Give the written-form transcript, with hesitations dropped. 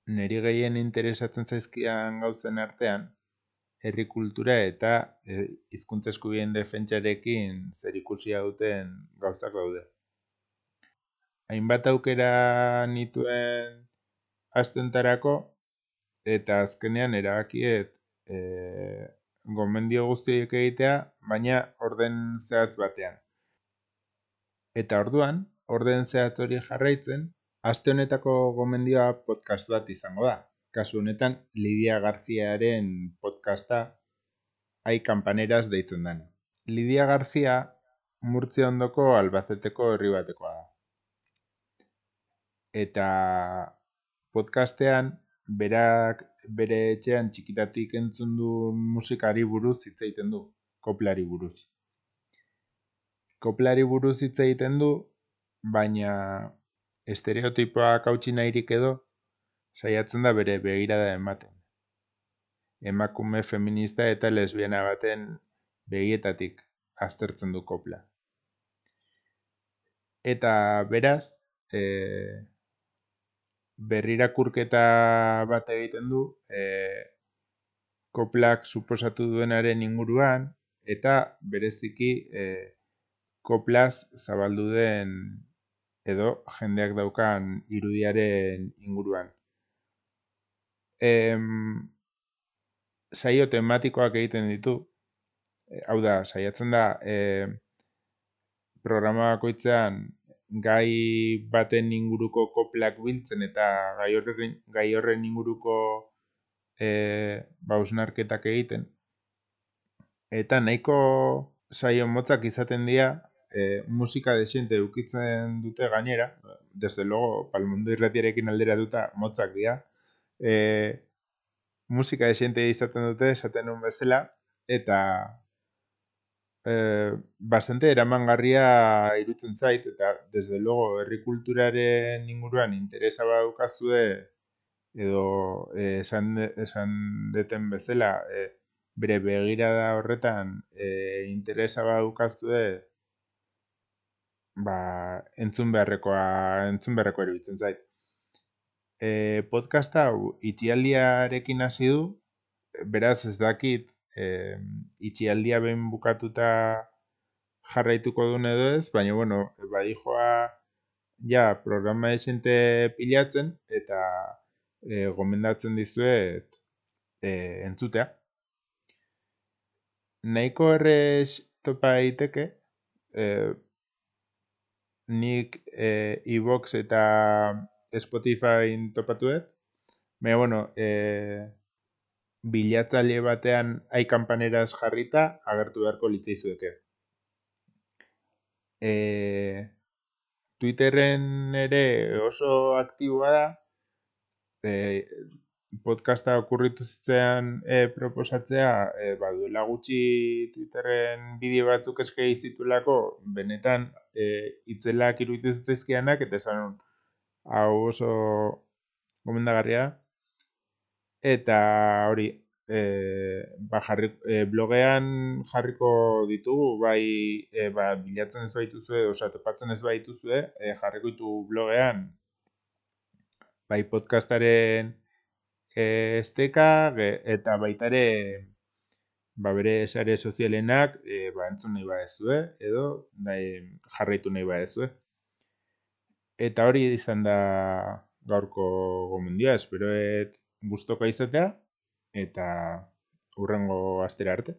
niri gehien interesatzen zaizkidan gauzen artean, herri kultura eta hizkuntza eskubideen defentsarekin zerikusia duten gauzak daude. Hainbat aukera nituen astentarako, eta azkenean erabakiet gomendio guztiek egitea, baina orden zehatz batean. Eta orduan, orden zehatz hori jarraitzen, aste honetako gomendioa podcast bat izango da. Kasu honetan, Lidia Garziaren podcasta Ai Campaneras deitzen dena. Lidia Garzia Murtzia ondoko Albaceteko herri batekoa da. Eta podcastean berak bere etxean txikitatik entzun duen musikari buruz hitz egiten du, koplari buruz. Koplari buruz hitz egiten du, baina estereotipoak hautsi nahirik edo saiatzen da bere begirada ematen. Emakume feminista eta lesbiana baten begietatik aztertzen du kopla. Eta beraz, berrirakurketa bat egiten du koplak suposatu duenaren inguruan, eta bereziki koplaz zabaldu den edo jendeak daukan irudiaren inguruan. Saio tematikoak egiten ditu, hau da, saiatzen da programa bakoitzean gai baten inguruko koplak biltzen eta gai horren inguruko hausnarketak egiten. Eta nahiko saio motzak izaten dira, musika desiente edukitzen dute gainera, desde luego, Palmondo irratiarekin alderatuta motzak dira, musika desiente izaten dute, esaten nuen bezala, eta bastante eramangarria irutzen zait, eta desde luego herri kulturaren inguruan interesa badukazue, edo esan deten bezala, bere begirada horretan interesa badukazue, entzun beharrekoa iruditzen zait. Podcasta hau itxialdiarekin hasi du, beraz ez dakit itxialdia behin bukatuta jarraituko duen edo ez, baina bueno, badijoa ja programa esente pilatzen eta gomendatzen dizuet entzutea. Nahiko errez topa daiteke, nik iVoox eta Spotify topatuet, baina bueno, bilatzaile batean Ai Campaneras jarrita agertu beharko litzaizueke. Twitterren ere oso aktiboa da, podcasta okurritu zitzean proposatzea, duela gutxi Twitterren bideo batzuk eskegi zitulako, benetan itzelak iruditu zitzaizkianak, eta esan hau oso gomendagarria, eta hori, blogean jarriko ditugu, bilatzen ez baituzue, topatzen ez baituzue, jarriko ditugu blogean, bai podcastaren esteka, eta baitare bere sare sozialenak entzun nahi badezue, edo jarraitu nahi badezue. Eta hori izan da gaurko gomendioa, esperoet gustoka izatea, eta hurrengo astera arte.